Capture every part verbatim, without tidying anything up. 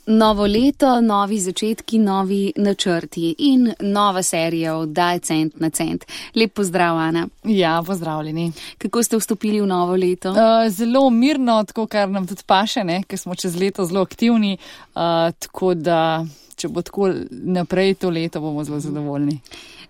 Novo leto, novi začetki, novi načrti in nova serija oddaj Cent na cent. Lep pozdrav, Ana. Ja, pozdravljeni. Kako ste vstopili v novo leto? Uh, zelo mirno, tako kar nam tudi paše, ne? Ker smo čez leto zelo aktivni, uh, tako da če bo tako naprej to leto, bomo zelo zadovoljni.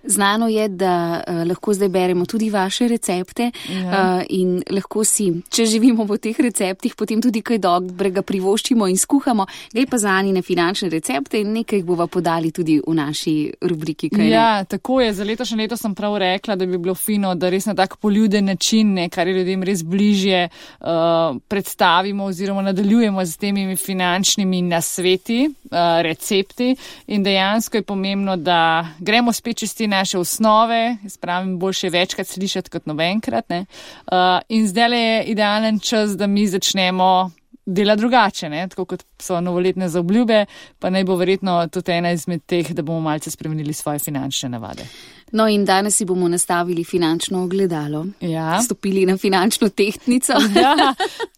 Znano je, da uh, lahko zdaj beremo tudi vaše recepte ja. uh, in lahko si, če živimo po teh receptih, potem tudi kaj dobrega privoščimo in skuhamo. Gre pa za Anine finančne recepte in nekaj bova podali tudi v naši rubriki. Kaj ja, ne? Tako je. Za letošnje leto sem prav rekla, da bi bilo fino, da res na tak poljuden način, ne, kar je ljudem res bližje, uh, predstavimo oziroma nadaljujemo z temi finančnimi nasveti, uh, recepti in dejansko je pomembno, da gremo spet čez te naše osnove, spravim boljše večkrat slišati kot nobenkrat. Ne? Uh, in zdaj je idealen čas, da mi začnemo delati drugače, ne? Tako kot so novoletne zaobljube, pa naj bo verjetno tudi ena izmed teh, da bomo malce spremenili svoje finančne navade. No in danes si bomo nastavili finančno ogledalo. Ja. Stopili na finančno tehtnico. Ja,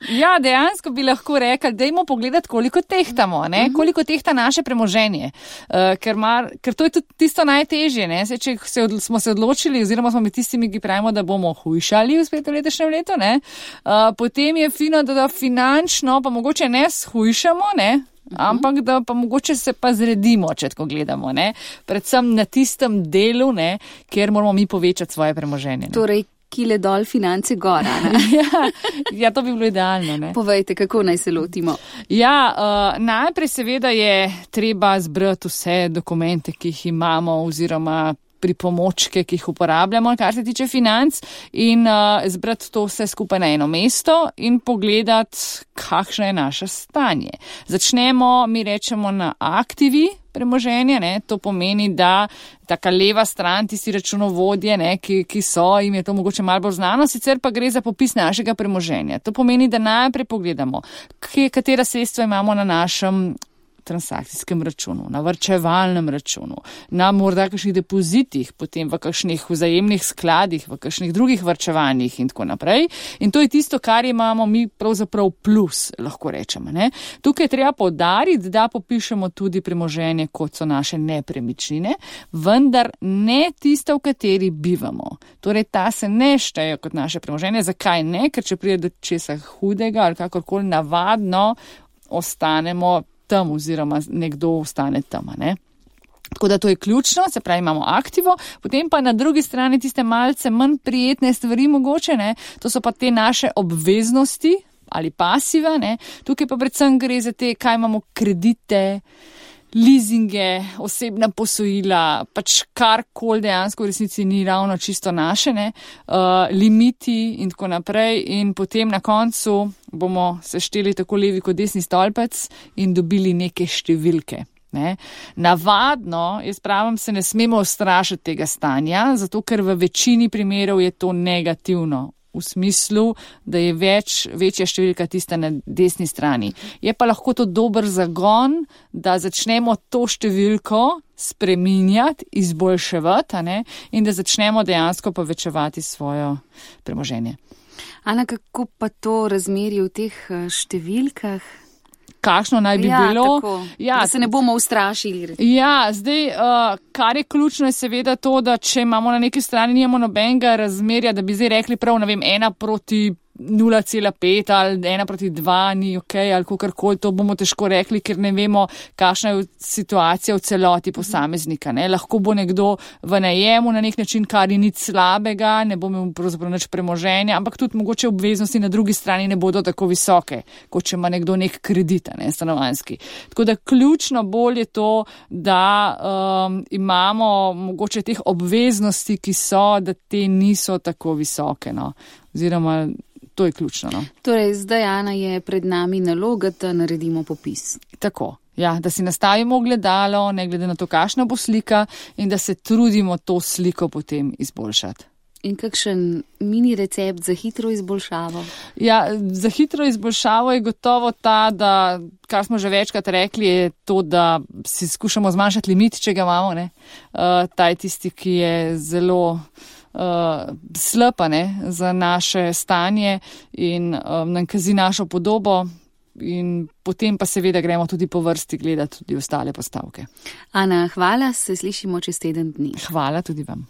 ja, dejansko bi lahko rekli, dajmo pogledati, koliko tehtamo, ne? Uh-huh. Koliko tehta naše premoženje. Uh, ker, mar, ker to je tudi tisto najtežje, ne? Se, če se od, smo se odločili, oziroma smo med tistimi, ki pravimo, da bomo hujšali v spet letošnjem letu, ne? Uh, potem je fino, da, da finančno pa mogoče ne shujšamo, ne? Ampak da pa mogoče se pa zredimo, če tako gledamo, ne? Predvsem na tistem delu, ne, kjer moramo mi povečati svoje premoženje. Ne? Torej, kile dol, finance gora. ja, ja, to bi bilo idealno. Ne? Povejte, kako naj se lotimo? Ja, uh, najprej seveda je treba zbrati vse dokumente, ki jih imamo, oziroma pripomočke, ki jih uporabljamo, kar se tiče financ, in uh, zbrati to vse skupaj na eno mesto in pogledati, kakšno je naše stanje. Začnemo, mi rečemo, na aktivi premoženja, ne? To pomeni, da taka leva stran, tisti računovodje, ne, ki, ki so, jim je to mogoče malo bolj znano, sicer pa gre za popis našega premoženja. To pomeni, da najprej pogledamo, katera sredstva imamo na našem transakcijskem računu, na varčevalnem računu, na morda kakšnih depozitih, potem v kakšnih vzajemnih skladih, v kakšnih drugih varčevanjih in tako naprej. In to je tisto, kar imamo mi pravzaprav plus, lahko rečemo. Ne? Tukaj treba poudariti, da popišemo tudi premoženje, kot so naše nepremičnine, vendar ne tisto, v kateri bivamo. Torej, ta se ne šteje kot naše premoženje. Zakaj ne? Ker če pride do česa hudega ali kakorkoli, navadno ostanemo tam oziroma nekdo ostane tam, ne? Tako da to je ključno, se pravi, imamo aktivo, potem pa na drugi strani tiste malce manj prijetne stvari mogoče, ne? To so pa te naše obveznosti ali pasiva, ne? Tukaj pa predvsem gre za te, kaj imamo kredite, leasinge, osebna posojila, pač karkoli dejansko v resnici ni ravno čisto naše, ne, uh, limiti in tako naprej, in potem na koncu bomo sešteli tako levi kot desni stolpec in dobili neke številke. Ne. Navadno, jaz pravim, se ne smemo ustrašiti tega stanja, zato ker v večini primerov je to negativno. V smislu, da je več, večja številka tista na desni strani. Je pa lahko to dober zagon, da začnemo to številko spreminjati, izboljševati, a ne, in da začnemo dejansko povečevati svojo premoženje. Ana, kako pa to razmerje v teh številkah? Kakšno naj bi ja, bilo. Tako, ja, da se ne bomo ustrašili. Ja, zdaj, uh, kar je ključno je seveda to, da če imamo na neki strani nimamo nobenega razmerja, da bi zdaj rekli prav, ne vem, ena proti nula cela pet ali ena proti dva ni ok ali kakorkoli, to bomo težko rekli, ker ne vemo, kakšna je situacija v celoti posameznika. Ne? Lahko bo nekdo v najemu na nek način, kar je nič slabega, ne bo imel pravzaprav nič premoženja, ampak tudi mogoče obveznosti na drugi strani ne bodo tako visoke, kot če ima nekdo nek kredit, ne, stanovanjski. Tako da ključno bolj je to, da um, imamo mogoče teh obveznosti, ki so, da te niso tako visoke, no. Oziroma to je ključno. No? Torej, zdaj, Ana, je pred nami naloga, da naredimo popis. Tako, ja, da si nastavimo ogledalo, ne glede na to, kakšna bo slika, in da se trudimo to sliko potem izboljšati. In kakšen mini recept za hitro izboljšavo? Ja, za hitro izboljšavo je gotovo ta, da, kar smo že večkrat rekli, je to, da si skušamo zmanjšati limit, če ga imamo. Ne? Uh, ta je tisti, ki je zelo Uh, slapa, ne, za naše stanje in um, nam kazi našo podobo. in potem pa seveda gremo tudi po vrsti gledati tudi ostale postavke. Ana, hvala, se slišimo čez teden dni. Hvala tudi vam.